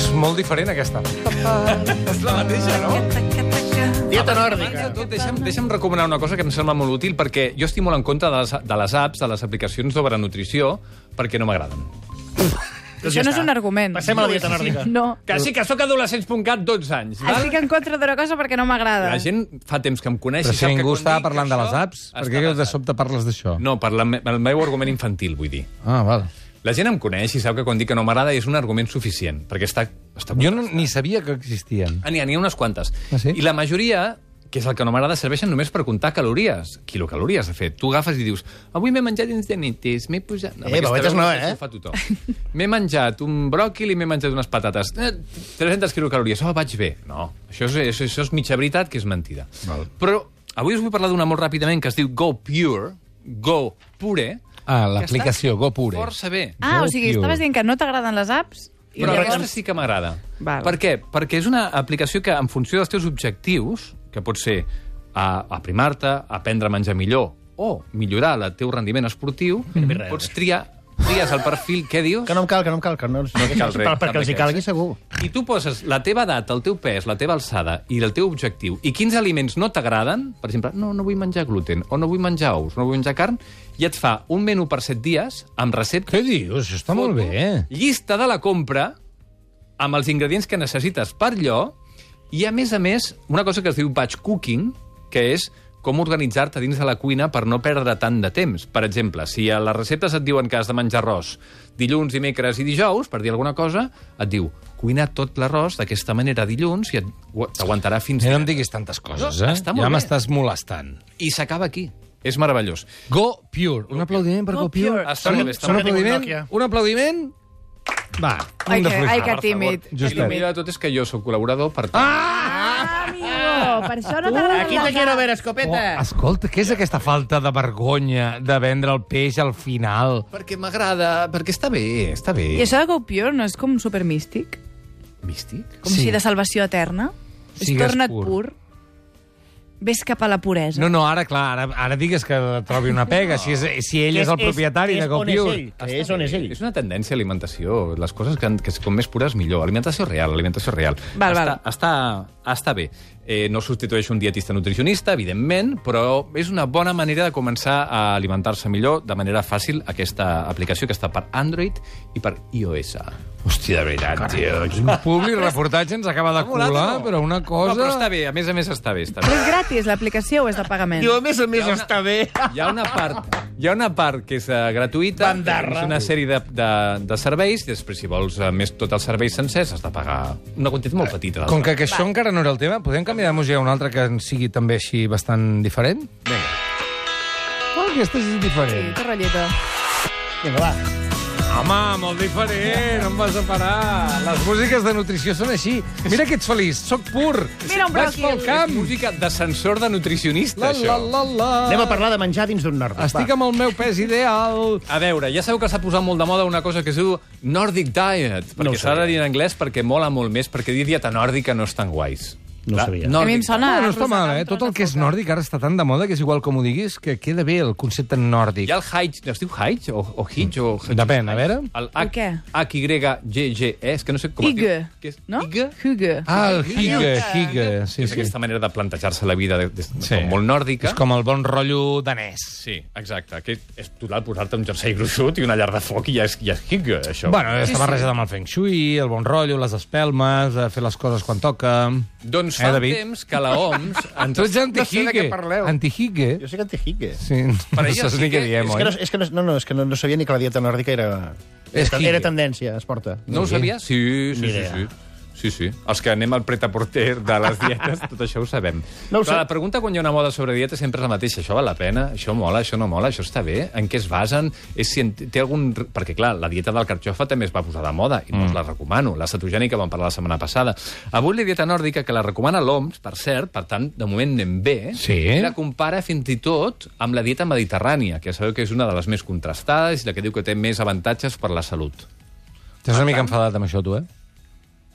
És molt diferent, aquesta. És la mateixa, no? Dieta Abans nòrdica. de tot, deixa'm recomanar una cosa que em sembla molt útil, perquè jo estic molt en contra de les apps, de les aplicacions sobre nutrició, perquè no m'agraden. Això no és un argument. Passem a la dieta nòrdica. No. Que sí, que sóc adolescents.cat 12 anys. Val? Estic en contra d'una cosa perquè no m'agrada. La gent fa temps que em coneix Però i si sap que ningú quan estava dic parlant de les això, apps, està per què de basat. sobte parles d'això? No, per el meu argument infantil, vull dir. Ah, val. La gent em coneix i sap que quan dic que no m'agrada és un argument suficient, perquè està Jo ni sabia que existien. N'hi ha unes quantes. Ah, sí? I la majoria, que és el que no m'agrada, serveixen només per comptar calories. Quilocalories, de fet. Tu agafes i dius, avui m'he menjat uns llanites, m'he posat... babetes no, eh? Ho fa tothom. M'he menjat un bròquil i m'he menjat unes patates. 300 quilocalories. Oh, vaig bé. No, això és mitja veritat, que és mentida. Val. Però avui us vull parlar d'una molt ràpidament que es diu Go Pure, Go Pure. Ah, l'aplicació que està GoPure. Força bé. Ah, o sigui, Go estaves Pure. dient que no t'agraden les apps? I Però llavors- aquesta sí que m'agrada. Val. Per què? Perquè és una aplicació que, en funció dels teus objectius, que pot ser aprimar-te, aprendre a menjar millor o millorar el teu rendiment esportiu, pots tries el perfil... Què dius? Que no em cal, que no em cal. Que no cal res, perquè els hi calgui segur. I tu poses la teva edat, el teu pes, la teva alçada i el teu objectiu, i quins aliments no t'agraden, per exemple, no vull menjar gluten, o no vull menjar ous, no vull menjar carn, i et fa un menú per 7 dies amb recepta... Què dius? Això està molt bé. Llista de la compra amb els ingredients que necessites per allò i, a més, una cosa que es diu batch cooking, que és com organitzar-te dins de la cuina per no perdre tant de temps. Per exemple, si a les receptes et diuen que has de menjar arròs dilluns, dimecres i dijous, per dir alguna cosa, et diu, cuina tot l'arròs d'aquesta manera dilluns i t'aguantarà fins... No em diguis tantes coses, No, eh? està molt Ja bé. m'estàs molestant. I s'acaba aquí. És meravellós. Go Pure. Un aplaudiment per Go Go Pure. Pure. Està molt bé, està Un molt bé. aplaudiment? Nokia. Un aplaudiment? Va, Ai, un de que fluixar. tímid. I el millor de tot és que jo sóc col·laborador, per tant... Ah, amigo, per això no t'agraden Aquí les te quiero apps. ver, Oh, escopeta. escolta, què és aquesta falta de vergonya de vendre el peix al final? Perquè m'agrada, perquè està bé, està bé. I això de Go Pure no és com supermístic? Místic? Com si de salvació eterna? És Sigues torna't pur. pur. Ves cap a la puresa. No, ara, clar, ara digues que trobi una pega, si ell és el propietari de Go Pure. És on és ell. És una tendència a alimentació. Les coses que com més pures, millor. Alimentació real, alimentació real. Val. Està bé. No substitueix un dietista nutricionista, evidentment, però és una bona manera de començar a alimentar-se millor de manera fàcil aquesta aplicació que està per Android i per iOS. Hòstia, de veritat, tio. Un public reportatge ens acaba de colar, però una cosa... No, però està bé, a més està bé. Està Però bé. és gratis, l'aplicació, o és de pagament? Diu, a més, està bé. Hi ha una part que és gratuïta, Bandarra. que és una sèrie de serveis, i després, si vols més tots els serveis sencers, has de pagar una quantitat molt petita. Com que això encara no era el tema, podem canviar de música a una altra que sigui també així bastant diferent? Vinga. Oh, aquesta és Sí, diferent. que rotlleta. Vinga, va. Home, molt diferent, no em vas a parar. Les músiques de nutrició són així. Mira que ets feliç, sóc pur. Mira un Vaig bròquil. pel camp. Música d'ascensor de nutricionista, La, això. la. Anem a parlar de menjar dins d'un nòrdic. Estic amb el meu pes ideal. A veure, ja sabeu que s'ha posat molt de moda una cosa que es diu Nordic Diet, No ho perquè s'ha de sabia. dir en anglès perquè mola molt més, perquè dir dieta nòrdica no és tan guais. No ho sabia. A mi em sona... No està mal, rosegar un Tot tros el que és de foca. nòrdic ara està tan de moda que és igual com ho diguis, que queda bé el concepte nòrdic. Hi ha el Hajj, es diu Hajj o Hijj o... Depèn, a veure. El El què? H-Y-G-G-E, és que no sé com... Hygge, Què és? no? Hygge? Hygge. Ah, el hygge. Sí, És sí. aquesta manera de plantejar-se la vida Sí. com molt nòrdica. És com el bon rotllo danès. Sí, exacte. Que és total posar-te un jersei gruixut i una llar de foc i ja és Hygge, això. Bueno, està barrejat amb el feng shui, el bon rotllo, les espelmes, fer les coses quan toca... Doncs fa un David? temps que la OMS... Tu ets No sé de anti-hygge. què parleu. Anti-hygge. Jo sé que anti-higge. Sí, Per no ella saps sí ni què que- diem, És que, oi? és que no sabia ni que la dieta nòrdica era... És higge. Era tendència, es porta. No ho sabia? Sí. Ni idea. Sí. Els que anem al pret-a-porter de les dietes, tot això ho sabem. No ho Però sé. la pregunta quan hi ha una moda sobre dieta sempre és la mateixa. Això val la pena? Això mola? Això no mola? Això està bé? En què es basen? És si té algun... Perquè, clar, la dieta del carxofa també es va posar de moda i no us la recomano. La cetogènica vam parlar la setmana passada. Avui la dieta nòrdica, que la recomana l'OMS, per cert, per tant, de moment anem bé, Sí. i la compara fins i tot amb la dieta mediterrània, que sabeu que és una de les més contrastades i la que diu que té més avantatges per la salut. Estàs una mica enfadat amb això, tu, eh?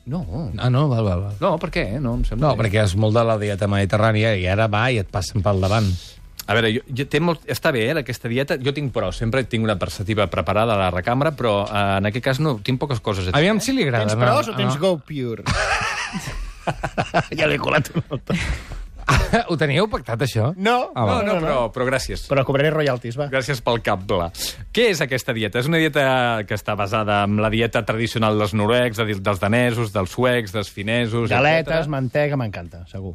No, Ah, no? Val. no, per què? No, em sembla No, bé. perquè és molt de la dieta mediterrània i ara va i et passen pel davant. A veure, està bé, aquesta dieta. Jo tinc pros, sempre tinc una perspectiva preparada a la recambra, però en aquest cas no, tinc poques coses a dir. Aviam si li agrada. Tens pros o tens Go Pure? Ja l'he colat un altre. Ho teníeu pactat, això? No, No, però gràcies. Però cobraré royalties, va. Gràcies pel cable. Què és aquesta dieta? És una dieta que està basada en la dieta tradicional dels noruecs, dels danesos, dels suecs, dels finesos... Galetes, etcètera. mantega, m'encanta, segur.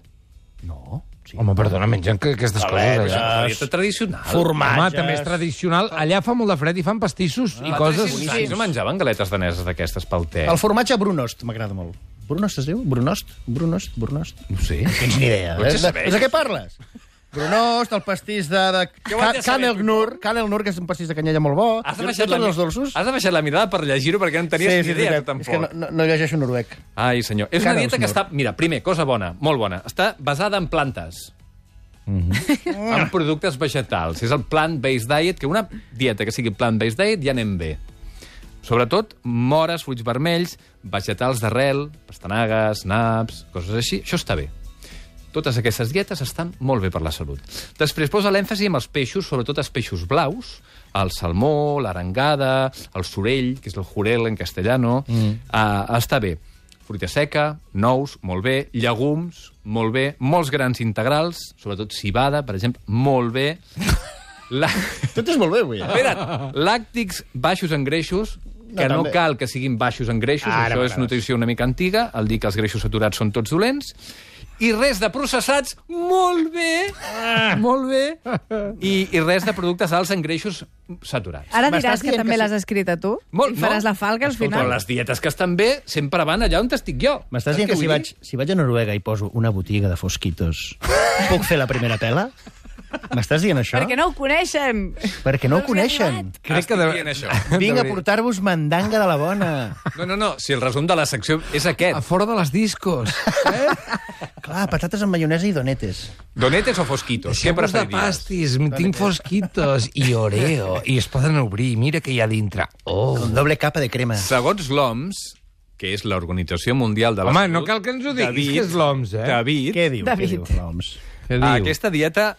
No. Sí. Home, perdona, mengen aquestes coses allà. És una dieta tradicional. Formatges. Home, també és tradicional. Allà fa molt de fred i fan pastissos i coses... Sí, no menjaven galetes daneses d'aquestes pel te. El formatge Brunost m'agrada molt. Brunost es diu? Brunost? No sé. Tens ni idea. Ho haig de saber. És de què parles? Brunost, el pastís de Què ho haig de saber, Canel-Nur, que és un pastís de canyella molt bo. Has Jo tots els dolços. Has de baixar la mirada per llegir-ho perquè no en tenies ni idea, tu és que tampoc. no llegeixo noruec. Ai, senyor. És una dieta que Canel-Nur. està... Mira, primer, cosa bona, molt bona. Està basada en plantes. En productes vegetals. És el plant-based diet, que una dieta que sigui plant-based diet ja anem bé. Sobretot, mores, fruits vermells, vegetals d'arrel, pastanagues, naps, coses així. Això està bé. Totes aquestes dietes estan molt bé per la salut. Després posa l'èmfasi en els peixos, sobretot els peixos blaus, el salmó, l'arengada, el sorell, que és el jurel en castellano. Està bé. Fruita seca, nous, molt bé. Llegums, molt bé. Molts grans integrals, sobretot cibada, per exemple, molt bé. Tot és molt bé, avui. Espera't, làctics baixos en greixos, que no també. cal que siguin baixos en greixos, Ara això és m'agrades. nutrició una mica antiga, el dir que els greixos saturats són tots dolents, i res de processats, molt bé, molt bé, i res de productes alts en greixos saturats. Ara M'estàs diràs que dient també que sí. l'has escrit a tu? Molt, I faràs no? la falca al Escolta, final? les dietes que estan bé sempre van allà on estic jo. M'estàs Saps dient que què vull dir? si vaig a Noruega i poso una botiga de fosquitos, puc fer la primera pela? M'estàs dient això? Perquè no ho coneixen. Perquè no ho No els he coneixen. arribat. Crec que Estic dient això. Vinc a portar-vos mandanga de la bona. No, si el resum de la secció és A aquest. fora de les discos. Clar, patates amb maionesa i donetes. Donetes o fosquitos? Què Sempre de preferiries? pastis, tinc fosquitos i oreo, i es poden obrir, mira que hi ha dintre. Oh. Con doble capa de crema. Segons l'OMS, que és l'Organització Mundial de la Home, Salut... no cal que ens ho diguis, que és l'OMS, eh? David, Què diu? David. Què diu l'OMS? Què diu? aquesta dieta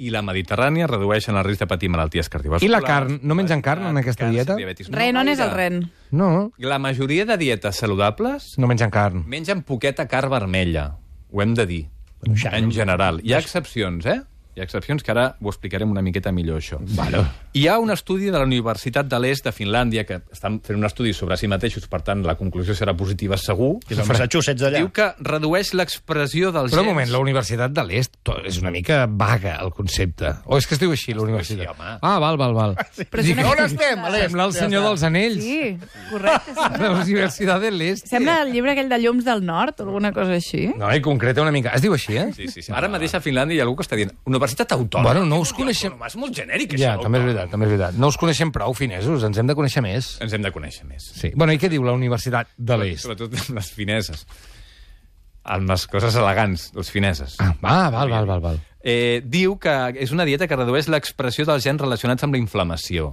i la mediterrània redueixen el risc de patir malalties cardiovasculars. I la carn? No mengen carn en aquesta càncer, dieta? diabetis. Ren, on és el gaire. ren? No, La majoria de dietes saludables no mengen carn. mengen poqueta carn vermella. Ho hem de dir. En general. Hi ha excepcions, eh? Hi ha excepcions que ara ho explicarem una miqueta millor, això. Vale. Hi ha un estudi de la Universitat de l'Est de Finlàndia que estan fent un estudi sobre si mateixos, per tant, la conclusió serà positiva segur. Que és el Massachusetts d'allà. Diu que redueix l'expressió dels Però un gens... moment, la Universitat de l'Est és una mica vaga, el concepte. O és que es diu així, la universitat? així, home. Ah, val. Però és una On estem? A l'est. Sembla el senyor dels anells. Sí, correcte. La Universitat de l'Est. Sembla el llibre aquell de Llums del Nord o alguna cosa així. No, i concreta una mica. Es diu així, eh? Sí. Ara mateix a Finlàndia hi ha algú que està dient Universitat Autònoma. Bueno, no us coneixem... És molt genèric, Ja, això. també és veritat. No us coneixem prou, finesos, ens hem de conèixer més. Ens hem de conèixer més. Sí. Bueno, i què diu la Universitat de l'Est? Sobretot amb les fineses. Amb les coses elegants, les fineses. Ah, val. Diu que és una dieta que redueix l'expressió dels gens relacionats amb la inflamació.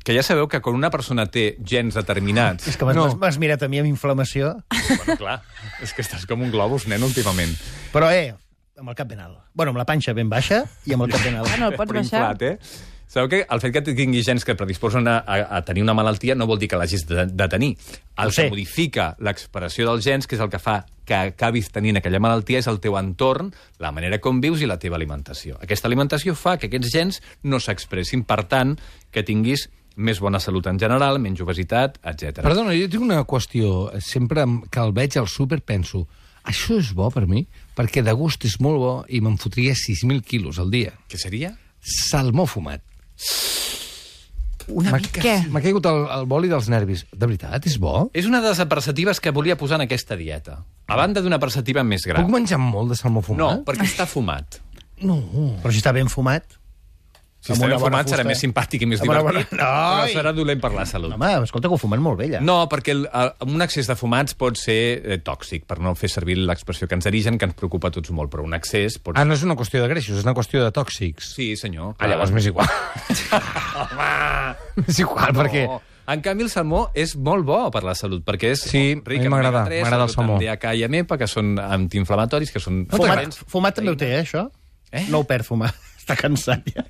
Que ja sabeu que quan una persona té gens determinats... És que m'has mirat a mi amb inflamació. Bueno, clar, és que estàs com un globus, nen, últimament. Però, amb el cap ben alt. Bueno, amb la panxa ben baixa i amb el cap ben alt. Bueno, el pots Però baixar. inflat, Sabeu que el fet que tinguis gens que predisposen a tenir una malaltia no vol dir que l'hagis de tenir. El que modifica l'expressió dels gens, que és el que fa que acabis tenint aquella malaltia, és el teu entorn, la manera com vius i la teva alimentació. Aquesta alimentació fa que aquests gens no s'expressin, per tant, que tinguis més bona salut en general, menys obesitat, etc. Perdona, jo tinc una qüestió. Sempre que el veig al súper penso, això és bo per mi, perquè de gust és molt bo i me'n fotria 6.000 quilos al dia. Què seria? Salmó fumat. Una mica. Què? M'ha caigut el boli dels nervis. De veritat, és bo? És una de les perceptives que volia posar en aquesta dieta. A banda d'una perceptiva més gran. Puc menjar molt de salmó No, fumat? perquè està fumat. No. Però si està ben fumat... Si Amb està una ben bona fumat serà fusta. més simpàtic i més Amb una divertit, bona- però Ai! serà dolent per la salut. Home, escolta, que ho fumen molt bé, allà. No, perquè un excés de fumats pot ser tòxic, per no fer servir l'expressió cancerigen, que ens preocupa a tots molt, però un excés pot Ah, no és una qüestió de greixos, és una qüestió de tòxics. Sí, senyor. Ah, llavors m'és igual. És igual, perquè... No. En canvi, el salmó és molt bo per la salut, perquè és Sí, ric a mi en m'agrada, omega-3, m'agrada el salmó. amb DHA i EPA, que són antiinflamatoris, que són... Fumat també ho té, això? Eh? No ho perd, fumar. Està cansat, ja.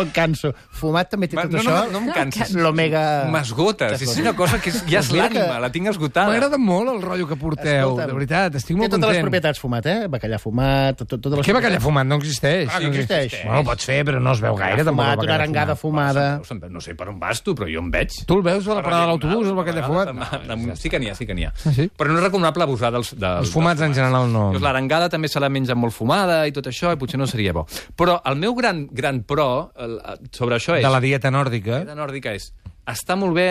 El canso. Fumat també té tot això. No em canses. L'omega... M'esgotes. És una cosa que ja és Mira l'ànima, la tinc esgotada. M'agrada molt el rotllo que porteu, Escolta'm, de veritat, estic molt Té totes les content. propietats fumat, Bacallà fumat, totes les Què bacallà fumat? No existeix. Ah, no existeix. Bueno, pots fer, però no es veu gaire, tampoc, el Fumat, una bacallà arengada fumat. fumada... No sé per on vas tu, però jo em veig. Tu el veus a la parada de l'autobús, el bacallà fumat? Sí que n'hi ha, sí que n'hi ha. Ah, sí? Però no és recomanable abusar dels Els fumats en general no. Llavors, l'arengada també se la menja molt fumada i tot això, i potser no seria bo. Però el meu gran pro sobre això és... De la dieta nòrdica. La dieta nòrdica és... Està molt bé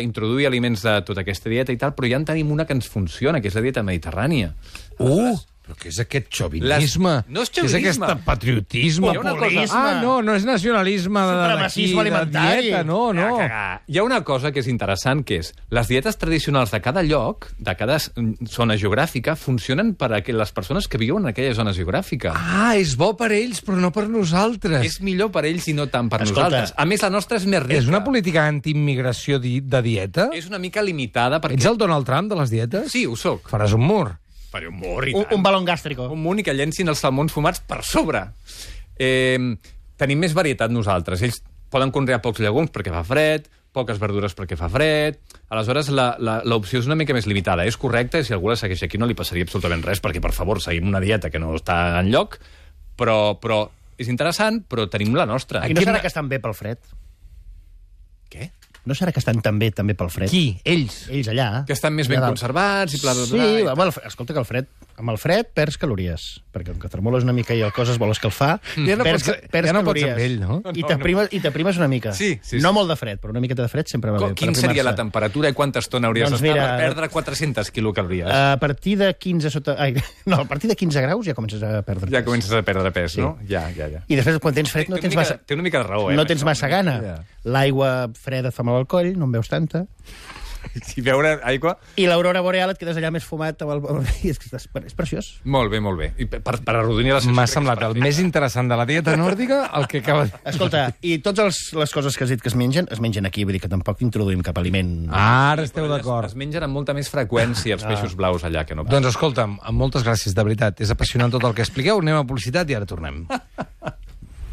introduir aliments de tota aquesta dieta i tal, però ja en tenim una que ens funciona, que és la dieta mediterrània. Però què és aquest xovinisme? No és Què és xovinisme. aquest patriotisme? Hi ha una cosa- Ah, no és nacionalisme Supremacisme alimentari. dieta, no. Hi ha una cosa que és interessant, que és les dietes tradicionals de cada lloc, de cada zona geogràfica, funcionen per a les persones que viuen en aquella zona geogràfica. Ah, és bo per ells, però no per nosaltres. És millor per ells i no tant per Escolta, nosaltres. A més, la nostra és més rica. És una política anti-immigració de dieta? És una mica limitada perquè... Ets el Donald Trump de les dietes? Sí, ho soc. Faràs un mur. Faré un mor i Un tant. balón gàstrico. Un munt i que llencin els salmons fumats per sobre. Tenim més varietat nosaltres. Ells poden conrear pocs llegums perquè fa fred, poques verdures perquè fa fred. Aleshores, l'opció és una mica més limitada. És correcte, i si algú la segueix aquí no li passaria absolutament res, perquè, per favor, seguim una dieta que no està enlloc, però és interessant, però tenim la nostra. I no serà que estan bé pel fred? Què? No serà que estan també pel fred? Qui? Ells. Ells allà. Que estan més ben allà dalt. conservats i bla, bla, bla. Sí, home, escolta, que amb el fred perds calories, perquè com que tremoles una mica i el cos es vol escalfar, Ja no perds, pots- perds ja no pots calories. amb ell, no? I t'aprimes una mica. Sí. No molt de fred, però una miqueta de fred sempre va bé. per Quin seria la aprimar-se. temperatura i quanta estona hauries Doncs d'estar mira, per perdre 400 quilocalories? A partir de 15 sota... Ai, no, a partir de 15 graus ja comences a perdre Ja pes. comences a perdre pes, no? Ja. I després, quan tens fred, no tens massa... Té una mica de raó, No tens massa gana. Ja. L'aigua freda et fa mal al coll, no en veus tanta. Si beure aigua... I l'aurora boreal et quedes allà més fumat. És preciós. Molt bé, molt bé. I per arrodonir la sensació... M'ha semblat el més interessant de la dieta nòrdica el que acaba... Escolta, i totes les coses que has dit que es mengen aquí, vull dir que tampoc introduïm cap aliment. Ara esteu d'acord. Es mengen amb molta més freqüència els peixos blaus allà que no. Doncs escolta'm, moltes gràcies, de veritat. És apassionant tot el que expliqueu. Anem a publicitat i ara tornem.